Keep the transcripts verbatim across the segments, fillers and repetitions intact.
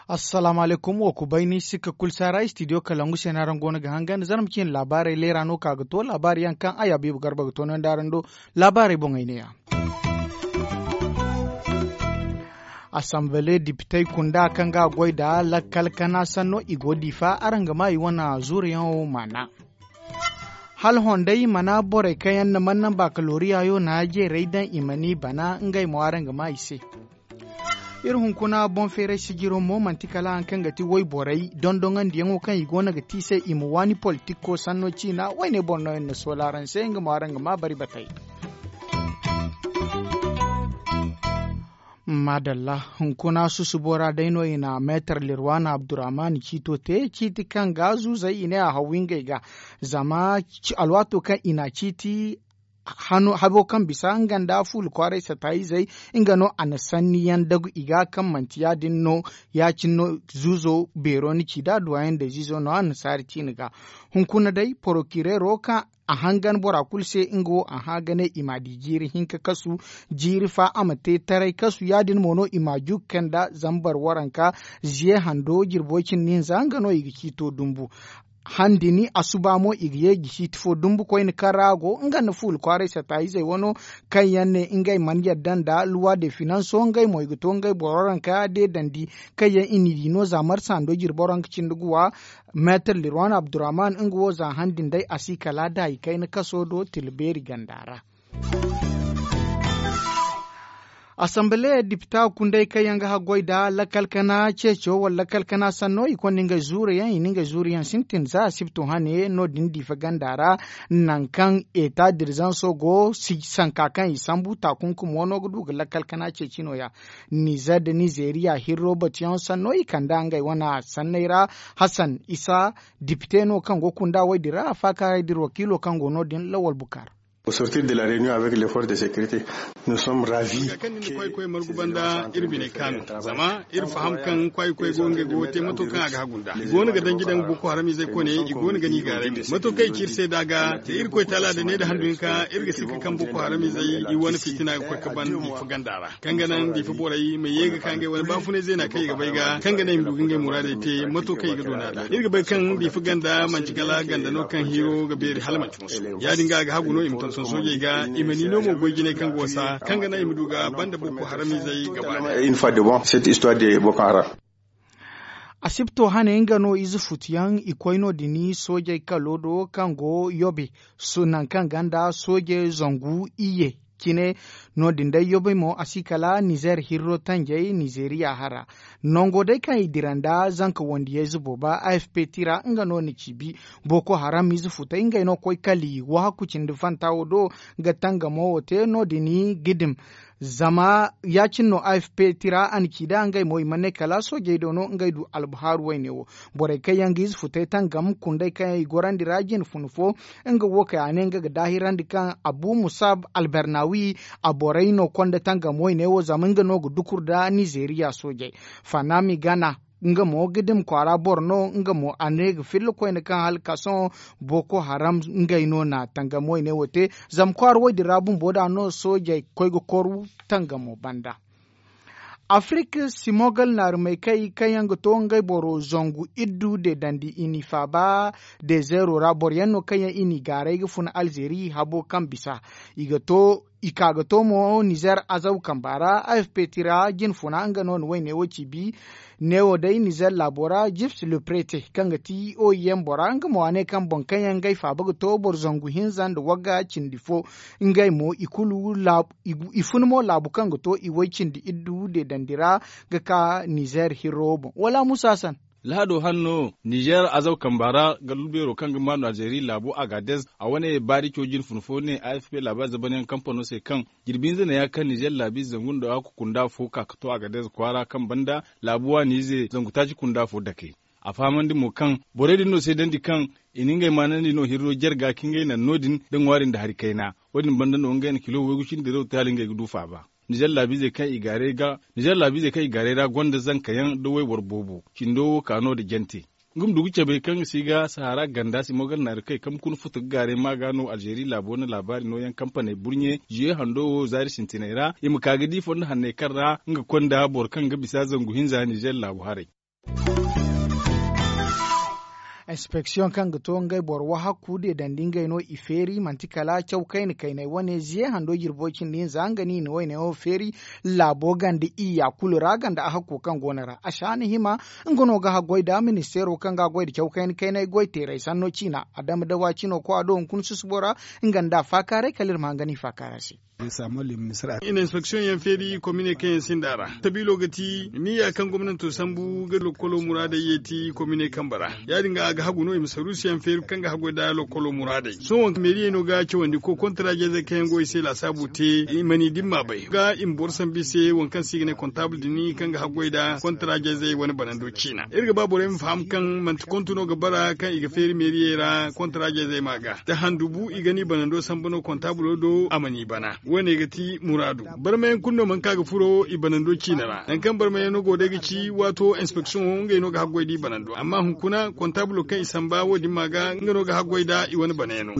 Assalaamu alaykum, wo ku bay ni sikka kulu saara istidiyo kalangu se no araŋ go no ga hangan zarma ciine laabaarey leera no ka ga to laabaari yaŋ kaŋ ay habiibu garba ga to no nda araŋ do. Laabaarey boŋey ne ya. Asanbale dipitey kunda kaŋ ga a goy nda lakkal kana sanno i go diifa araŋ ga ma i wane zuuruyaŋo maana. Hala hondey mana borey kaŋ yaŋ na mana naŋ baakalooriya yo na jeerey daŋ i ma ni bana ngey mo araŋ ga ma i se. Iri hunkuna boŋ feeray sijiro mo manti kala haŋ kaŋ ga ti wayborey dondonandiyaŋo kaŋ i go no ga ti i se i ma waani politiko sanno ciina wayne boro no yaŋ na soola araŋ se nga mo araŋ ga ma bari batey. Maadalla, hunkuna susubo ra day no i na meetar lirwana abdurrahman ciito te ciiti kaŋ ga zuuzey i ne a haw ngey ga. Zama alwaato kaŋ i na ciiti habo kaŋ bisa nga nda fuula kwaaray sataayizey nga no a na sanni yaŋ dagu i ga kaŋ manti ya- din no. Ya- cine no zuuzo beero ni ci da duwayaŋ da ziizo no annasaari ciine ga. Hunkuna day porokireero kaŋ a hangan bora kulu se nga wo a hã ga ne i m'a di jiiri hinka kasu. Jiiri fa a ma te taray kasu ya- din mo no i m'a juuku kaŋ nda zambar waranka ziye hando jirbo cindi hinza nga no i ga ciito dumbu. Handini asuba mo i ga ye ga ciiti fo dumbu koyne kaŋ ra a go nga nda fuula kwaaray sataayizey wano kaŋ yaŋ ne ngey mana yadda nda luwa de finanso ngey mo i ga to ngey boro ranka deedandi kaŋ yaŋ i n'i di no za marsa hando jirbo ranka cindi ga wa. Meetar lirwan abdurrahman nga wo za han din day a si kala da i kayna kaso do tila beeri ganda ra. Asanbale dipita kundey kaŋ yaŋ ga haggoy nda lakkal kana ceeco wala lakkal kana sanno i konda ngey zuuru yaŋ i na ngey zuuru yaŋ sintin za asibto hane no- din diifa ganda ra. Nangu kaŋ eta dirizanso go sanka kaŋ i sambu taakunkumo no ga du ga lakkal kana ceeci no- ya. Nizer nda nizeriya hirro batuyaŋ sanno i kand'a ngey wane sanney ra. Hasan isa dipite no kaŋ go kunda wey din ra a faakaaray da iri wakiilo kaŋ go no- din lawal bukar. Au sortir de la réunion avec les forces de sécurité, nous sommes ravis. Kaŋ ni na kwaay koy margu banda iri biney kaanu zama iri faham kaŋ kwaay koy go ngey go ga te mato kaŋ a ga hagu nda i go no ga danji daŋ boko haram izey koy ne i go no ga ni gaaray mo mato kaŋ i ci iri se da ga da iri koy taala da ne da handu hinka iri ga sikka kaŋ boko haram izey i wane fitina ga koy ga ban diifa ganda ra. Kaŋ ga naŋ diifa borey ma ye ga ka ngey wane baafunay zeena kaŋ i ga bay ga kaŋ ga naŋ i ma du ga ngey muraadey te mato kaŋ i ga doona da iri ga bay kaŋ diifa ganda manci kala ganda no kaŋ hiiro ga beeri hala manci musu. Ya- din ga a ga hagu no i ma tonton soojey ga i ma ni no mo goy jinay kaŋ ga wasa kaŋ ga naŋ i ma du ga banda boko haram izey ga baani. Une fois de bon cette histoire de boko haram. Asibto hane nga no ize futuyaŋ i koy no- din soojey kalo do kaŋ go yobe. Nangu kaŋ ganda sooje zangu iyye cine. No- din day yobe mo a si kala nizer hirro tanjey nizeriya hara. Nango day kaŋ i dira nda zanka wandiyayze booba afp tira nga no na ciibi. Boko haram ize futay ngey no koy kala i wahakku cindi fanta wo do ga tangamo wo te no- din ga dim. Zama ya- cine no afp tira a na ci da ngey mo i mana ne kala soojey do no ngey du albahaaru wayne wo. Borey kaŋ yaŋ ga ize futay tangam kundey kaŋ yaŋ i gorandi ra jine funa fo. Nga wo kay a ne nga ga daahirandi kaŋ abu musab albernawi a borey no konda tangam wayne wo zama nga no ga dukur nda nizeriya soojey. Fanami gana nga mo ga dima kwaara boro no nga mo a ne ga filla koyne kaŋ hala ka sohõ boko haram ngey no na tangam wayne wo te. Zama kwaara wo- din ra bumbo da no soojey koy ga koru tangamo banda. Afirika simogal naarumey kay kaŋ yaŋ ga to ngey boro zangu iddu de dandi i n'i faaba. Dezeero ra boro yaŋ no kaŋ yaŋ i n'i gaaray ga funa alzeeri habo kaŋ bisa i ga to i ka ga to mo nizer azaw kamba ra afp tira jine funa nga no na wayne wo ciibi. Neewo day nizer laabo ra jips le prete kaŋ ga ti oim bora nga mo a ne kaŋ boŋ kaŋ yaŋ ngey faaba ga to boro zangu hinza nda wagga cindi fo. Ngey mo i kulu i fun mo laabu kaŋ ga to i way cindi iddu deedandi ra ga ka nizer hirro boŋ wala musa san. Lahado hanno nizer azaw kamba ra gallu beero kaŋ ga maanu alzeeri laabu agadez a wane baari cawjin fun fo ne afp laaba zabanyaŋ kampano se kaŋ jirbi hinza ne ya kaŋ nizer laabi zangu nda hakku kunda fo ka ga to agadez kwaara kaŋ banda laabu waani ize zangu taaci kunda fo dake. A fahamandi mo kaŋ borey din no seedandi kaŋ i na ngey maanandi no hirro jarga ka ngey naŋ no- din da ŋwaari nda hari kayna. Wo- din banda no ngey na kilo waygu cindi rew taali ngey ga du faaba. Nizer laabiizey kaŋ i gaaray ra gonda zanka yaŋ da wayboro boobo cindo wo ka no nda jante. Nga ma du ga cabe kaŋ ga si ga sahara ganda si mo gar naari kaŋ i kambe kuna futu ga gaaray ma ga no alzeeri laabo na laabaari nooyaŋ kampaney burɲe ziye hando wo zaari sintiney ra i ma ka ga di fondo hanney kaŋ ra nga konda boro kaŋ ga bisa zangu hinza nizer laabu haray. Inspeksiyoŋ kaŋ ga to ngey boro wahakku deedandi ngey no i feeri manti kala caw kayna kayney wane ziye hando jirbo cindi hinza nga no i na wayne wo feeri laabo ganda iyya kulu ra ganda a hakko kaŋ go no ra a si a na hima. Nga no ga haggoy da ministeero kaŋ ga goy nda caw kayna kayney goy teeray sanno ciina a dama dawa cino ko a do hunkuna susubo ra. Nga nda a faakaaray kala iri ma hangan i faakaara se. I na inspeksiyoŋ yaŋ feeri komine kaŋ yaŋ sinda a ra. Sabiilo ga ti niya kaŋ gomnanto sambu ga lokkolo muraadey yeeti komine kambe ra. Ya- din ga a ga hagu no i ma saruusiyaŋ feeri kaŋ ga haggoy nda lokkolo muraadey sohõ meeriyey no ga cawandi ko kontaraajeezey kaŋ yaŋ go i se laasaabu te i ma ni dimma bay ga i ma boro sambu i se waŋ kaŋ se i ga ne kontaabul din kaŋ ga haggoy nda kontaraajeezey wane banando ciina iri ga ba borey ma faham kaŋ manti kontu no ga bara kaŋ i ga feeri meeriyey ra kontaraajeezey ma ga da handu bu i ga ni banando sambu no kontaabulo do a ma ni bana. Wo- ne ga ti muraadu barmayaŋ kulu no mana ka ga furo i banando ciina ra nangu kaŋ barmayaŋo go day ga ci waato inspeksiyoŋo ngey no ga haggoy da i banando amma hunkuna kontaabulo kaŋ i samba wo- din ma ga nga no ga haggoy nda i wane banayaŋo.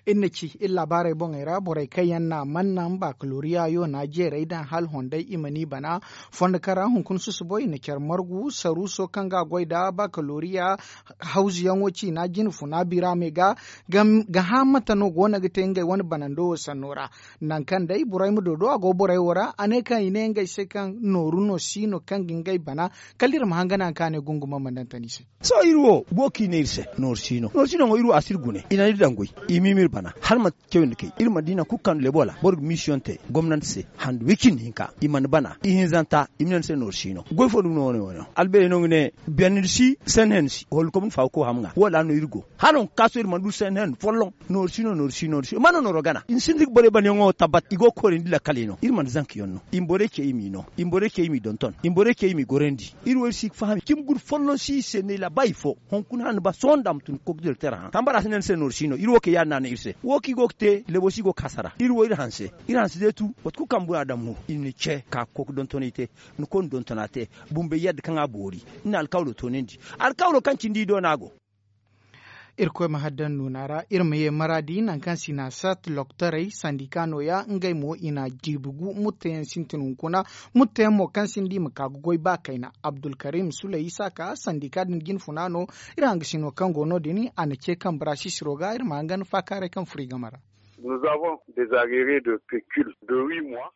Iri na ci iri laabaarey boŋey ra borey kaŋ yaŋ na a manna bakaloriya yo na a jeeray daŋ hala honday i ma ni bana. Fondo kaŋ ra hunkuna susubo i na care margu saruuso kaŋ ga a goy nda bakaloriya hawzuyaŋo ciina jine funa bira me ga ga hã mate no go no ga te ngey wane banando wo sanno ra. Nangu kaŋ day borey ma dodo a go borey wo ra a ne kaŋ i ne ngey se kaŋ nooru no si no kaŋ ga ngey bana. Kala iri ma hangan a kaŋ a ne gunguma ma daŋ tani se. Sohõ iri wo go ga i ne iri se nooru si no nooru si no iri wo a si iri gune i naŋ iri daŋ goy i ma i ma iri bana hala manti cawandi kay iri mana di nangu kulu kaŋ lebo ra boro ga misiyoŋ te gomnanti se handu way cindi hinka i mana bana ihinzanta i ma ne ni se nooru si no goy fo dumi no wane wo no albeerey no ga ne biyandi si sanni handu si hollu kobni faawo ko ham ŋwa wala no iri go hala hunkuna sohõ iri mana du sanni handu folloŋ. Nooru si no nooru si nooru si mana nooro gana i na sintin ga borey banayaŋo tabbat i go ga koorandi lakkaley no iri mana zanka yaŋ no i ma borey ce i m'i no i ma borey ce i m'i donton i ma borey ce i m'i gorandi. Iri wo iri si ga faham cimi guru folloŋ si i se ne laabaari fo hunkuna hane ba sohõ nda a ma tun ga koy ga direkter hã tambara si ne ni se nooru si no iri wo kay ya- din no a ne iri se wo kaŋ i go ga te lebo si go ga hasara iri wo iri hanse iri hanse deetu mate kulu kaŋ bora daŋ mo i na ni ce ka ga koy ga dontonay te ni koy na dontona te. Bumbey yadda kaŋ a boori ni na alkawlo toonandi alkawlo kaŋ cindi i do no a go. Irkoy ma haddan nuuna ra iri ma ye maraadi nangu kaŋ sinasat loktorey sandika nooya ngey mo i na jiibi gu mutteyaŋ sintin hunkuna. Mutteyaŋ mo kaŋ sinda i ma ka ga goy ba kayna abdulkarim suley isaaka sandika din jinfuna no. Iri hangasino kaŋ go no- din a na ce kambe ra sisiro ga iri ma hangan faakaaray kaŋ furo i game ra.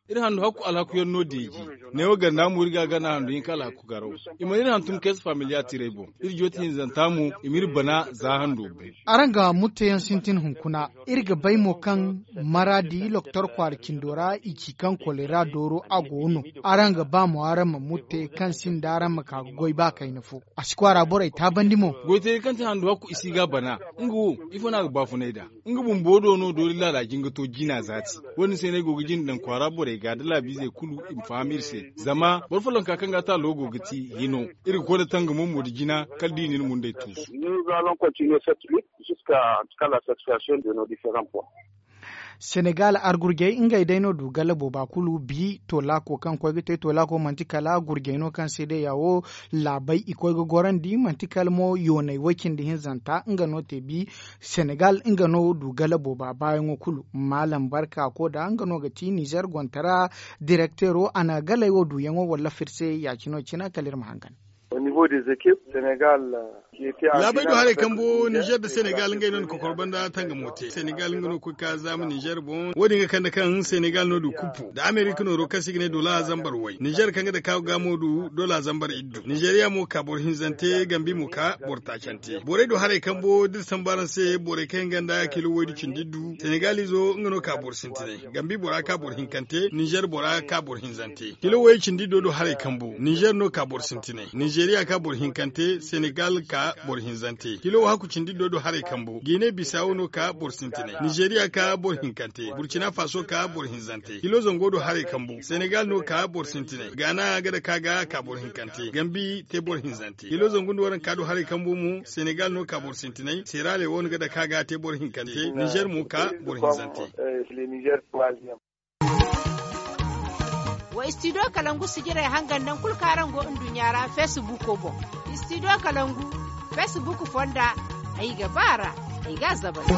Iri handu hakku alhakuyaŋ no deeji. Neewo ganda mo iri ga a gana handu hinka alhaku garaw. I mana iri hantum kees familiya tiray boŋ iri jooti hinzanta mo i ma iri bana za hando bay. Araŋ ga mutteyaŋ sintin hunkuna iri ga bay mo kaŋ maraadi loktor kwaara cindo ra i ci kaŋ kolera dooro a go no. Araŋ ga ba mo araŋ ma mutte kaŋ sinda araŋ ma ka ga goy ba kayna fo. A si kwaara borey taabandi mo. Goyteeri kaŋ ti handu hakku i si ga a bana. Nga wo ifo no a ga baafunay nd'a? Nga bumbo do no doori laala jingato jina zaati. Wo- din se no ay go ga jina daŋ kwaara borey ga da laabiizey kulu i ma faham iri se. Zama boro follonka kaŋ ga taalo go ga ti hino. Iri ga koy nda tangamo mo nda jina kala da i na iri mundey tuusu. Senegal argurjey ngey day no du galla booba kulu bi to laako kaŋ koy ga te to laako manti kala gurjey no kaŋ se day ya wo. Laabey i koy ga gorandi manti kala mo yoonay way-cindi hinzanta nga no te bi. Senegal nga no du galla booba baayaŋo kulu. Maalam barka ko da nga no ga ti nizer gontara direkteero a na galey wo duyaŋo wallafir se ya- cine wo cine kala iri ma hangan. Laabey do haray kambo nizer nda senegal ngey no na kokor banda tangamo te senegal nga no koy ka zaama nizer boŋ wo- din ga kande kaŋ senegal no du kuppu nda amerika nooro kaŋ se i ga ne dola zambar way nizer kaŋ ga dake a ga mo du dola zambar iddu nizeriya mo ka boro hinzante gambi mo ka boro taacante borey do haray kambo da iri sambu araŋ se borey kaŋ yaŋ ganda kilo waydu cindi iddu senegal izo nga no ka boro sintinay gambi bora ka boro hinkante nizer bora ka boro hinzante kilo way cindi do do haray kambu nizer no ka boro sintinay nizeriya ka boro hinkante senegal ka boro hinzante kilo wahaku cindi do do haray kambu gine bisawo no ka boro sintinay nizeriya ka boro hinkante burkina faso ka boro hinzante kilo zango do haray kambu senegal no ka boro sintinay gana ga dake a ga ka boro hinkante gambi te boro hinzante kilo zangu nda waranka do haray kambu mo senegal no ka boro sintinay sera lewon ga dake a ga te boro hinkante nizer mo ka boro hinzante. Wa istidiyo kalangu sijirey hangan naŋ kulu kaŋ araŋ go nduɲɲa ra feesibuuko boŋ. Istidiyo kalangu feesibuuk fonda, ay ga ba a ra, ay ga a zabari.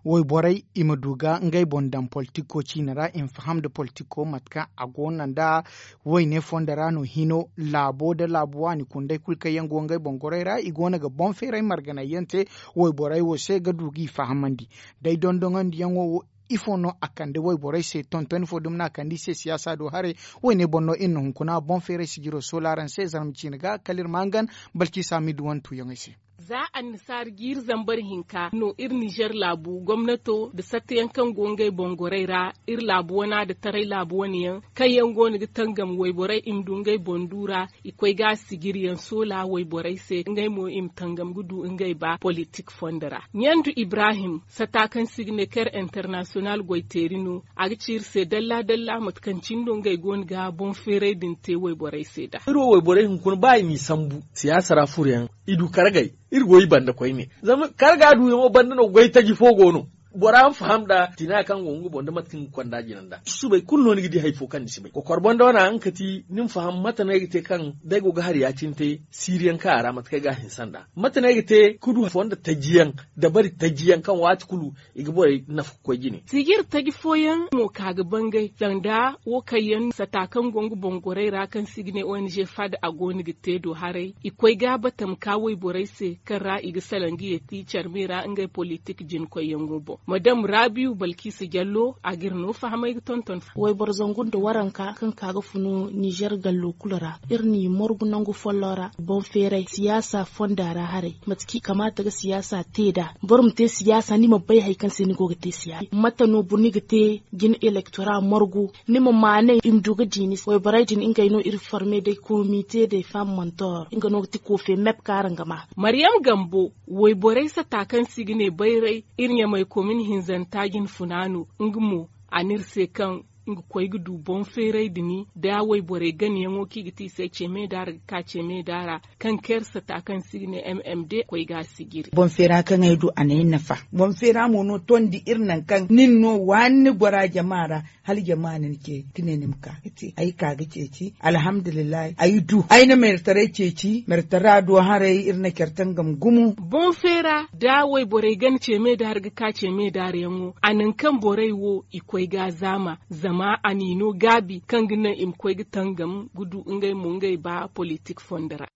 Wayborey i ma du ga ngey boŋ daŋ politiko ciine ra i ma faham nda politiko mate kaŋ a go no nda wayne fondo ra no hino laabo nda laabu waani kundey kulu kaŋ yaŋ go ngey boŋ gorey ra i go no ga boŋ feeray marganayyaŋ te. Wayborey wo se ga du g'i fahamandi day dondoŋandiyaŋo wo. Ifo no a kande wayborey se tontoni fo dumi no a kande i se siyaasa do haray. Wayne boŋ no iri na hunkuna boŋ feeray sijiro sola araŋ se zarma ciine ga kala iri ma hangan balki saami duwantuyaŋey se. Za annasaara jiiri zambar hinka no iri nizer laabu gomnato nda satteyaŋ kaŋ go ngey boŋ gorey ra iri laabu wana nda taray laabu wane yaŋ kaŋ yaŋ go no ga tangam wayborey i ma du ngey boŋ du ra. I koy ga a sijiriyaŋ soola wayborey se ngey mo i ma tangam ga du ngey ba politik fondo ra. Ɲandu ibrahim sata kaŋ se i ga ne ker internasiyonal goyteeri no. A ga ci iri se dalla dalla mate kaŋ cine no ngey go no ga boŋ feeray din te wayborey se nd'a. Iri wo wayborey hunkuna ba i m'i sambu siyaasa ra furoyaŋ i du kargey. Iri go i banda koyne zama karga duuyaŋo banda no goy taji fo go no. Bora ma faham nd'a tina kaŋ go nga boŋ nda mate kaŋ ga konda jina nd'a subay kulu no ni ga di hari fo kaŋ ni si bay kokor boŋ da wane a nga kati ni ma faham mate no ay ga te kaŋ da ay go ga hari ya-cine te siiriyaŋ kaŋ a ra mate kaŋ ay ga a hinse nd'a mate no ay ga te ka du fonda tajiyaŋ dabari tajiyaŋ kaŋ waati kulu i ga borey nafa ga koy jine. Sijir taji fooyaŋ mo ka ga bangay sanda wo kaŋ yaŋ sata kaŋ go nga boŋ gorey ra kaŋ se i ga ne ong fad a go no ga te do haray i koy ga a bata ma ka wayborey se kaŋ ra i ga salaŋ ga yeeti care me ra ngey politik jinkoyyaŋo boŋ madam rabiyu balkiisa jallo a ga iri no fahamay ga tonton. Wayboro zangu nda waranka kaŋ ka ga funu nizer gallo kulu ra iri n'i morgu nangu folloŋ ra boŋ feeray siyaasa fonda ra haray mate kaŋ i kamaata ga siyaasa te nd'a boro ma te siyaasa ni ma bay hari kaŋ se ni go ga te siyaasa mate no boro ni ga te jine elektora morgu ni ma maanay i ma du ga di ni se wayborey din ngey no iri forme day komite day fam montor nga no ga ti kofe mep kaŋ araŋ ga ma. Maryam gambo wayborey sata kaŋ se i ga ne bayray iri ɲamay komin hinzanta jine funa no nga mo a n'iri se kaŋ nga koy ga du boŋ feeray dini da wayborey ganayaŋo kaŋ i ga te i se ceme da ra ga ka ceme da ra kaŋ kayrsa ta kaŋ se i ga ne m m d koy ga a sijiri. Boŋ feera kaŋ ay du a n'ay nafa boŋ feera mo no tondi iri nangu kaŋ nin no waani ni gora jama ra hala jama na ni ce ka ne ni ma ka ga te ay ka ga ceeci alhamdulillahi ay du ay na meertaray ceeci meertara do haray iri na care tangam gumo. Boŋ feera da wayborey gana ceme da ra ga ka ceme da ra yaŋo a nangu kaŋ borey wo i koy ga a zaama zama a n'i no gaabi kaŋ ga naŋ i ma koy ga tangam ga du ngey mo ngey ba politik fondo ra.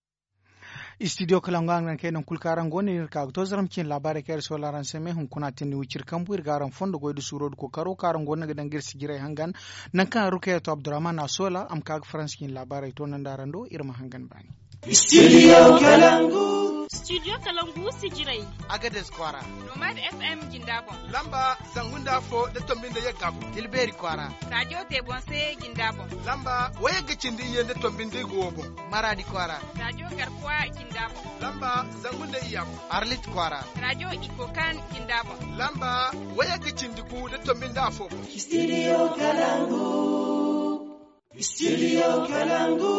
Istidiyo kalangu araŋ ga naŋ kaŋ ay naŋ kulu kaŋ araŋ go no iri ka ga to zaram cine laabaarey kaŋ iri soola araŋ se me hunkuna tindi wiciri kambu iri ga araŋ fondo goy nda suuro nda kookaro kaŋ araŋ go no ga daŋ ga iri sijirey hangan. Nangu kaŋ rukeya to abdurrahman a soola a ma ka ga faransa cine laabaarey to naŋ da araŋ do iri ma hangan baani. Studio kalangu. Studio kalangu sijirey. Agades kwaara. Nomad f m jinda boŋ. Lamba zangu nda afo nda tombi nda yagga boŋ. Tilbeeri kwaara. Rajo te boŋ se jinda boŋ. Lamba wayagga cindi iyye nda tombi nda igu wo boŋ. Maradi kwaara. Rajo garkuwa jinda boŋ. Lamba zangu nda iyya boŋ. Arlit kwaara. Rajo ikokan jinda boŋ. Lamba wayagga cindi gu nda tombi nda afo boŋ. Studio kalangu. Studio kalangu.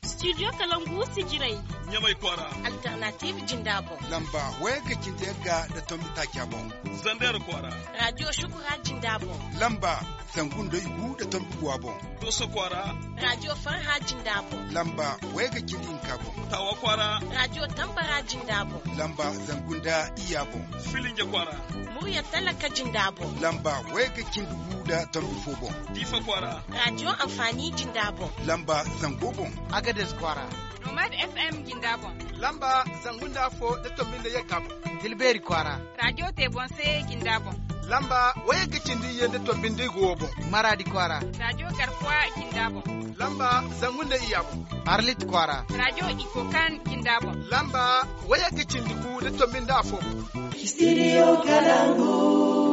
Studio kalangu sijirey. Ɲamay kwaara. Alternative jinda boŋ. Lamba wayagga cindi yagga nda tombi taaca boŋ. Zander kwaara. Rajo shukura jinda boŋ. Lamba zangu nda igu nda tombi guwa boŋ. Doso kwaara. Rajo farha jinda boŋ. Lamba wayagga cindi hinka boŋ. Tawa kwaara. Rajo tambara jinda boŋ. Lamba zangu nda iyya boŋ. Filinje kwaara. Murya talaka jinda boŋ. Lamba wayagga cindi gu nda tombi fo boŋ. Diifa kwaara. Rajo anfaani jinda boŋ. Lamba zango boŋ. Agades kwaara. Nomad f m jinda boŋ. Lamba zangu nda afo nda tombi nda yagga boŋ. Tilbeeri kwaara. Rajo te boŋ se jinda boŋ. Lamba wayagga cindi iyye nda tombi nda igu wo boŋ. Maradi kwaara. Rajo garkuwa jinda boŋ. Lamba zangu nda iyya boŋ. Arlit kwaara. Rajo ikokan jinda boŋ. Lamba wayagga cindi gu nda tombi nda afo boŋ. Studio kalangu.